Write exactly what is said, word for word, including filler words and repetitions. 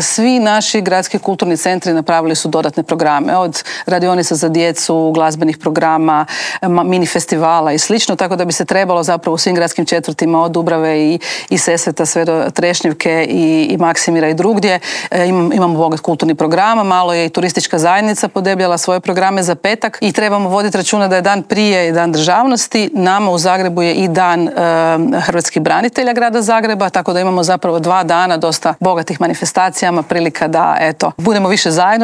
Svi naši gradski kulturni centri napravili su dodatne programe, od radionica za djecu, glazbenih programa, mini festivala i slično, tako da bi se trebalo zapravo u svim gradskim četvrtima od Dubrave i, i Sesveta sve do Trešnjevke i, i Maksimira i drugdje. Imam, imamo bogat kulturni program, malo je i turistička zajednica podebljala svoje programe za petak i trebamo voditi računa da je dan prije i dan državnosti. Nama u Zagrebu je i dan e, hrvatskih branitelja grada Zagreba, tako da imamo zapravo dva dana dosta bogatih manifestacijama, prilika da eto, budemo više zajedno.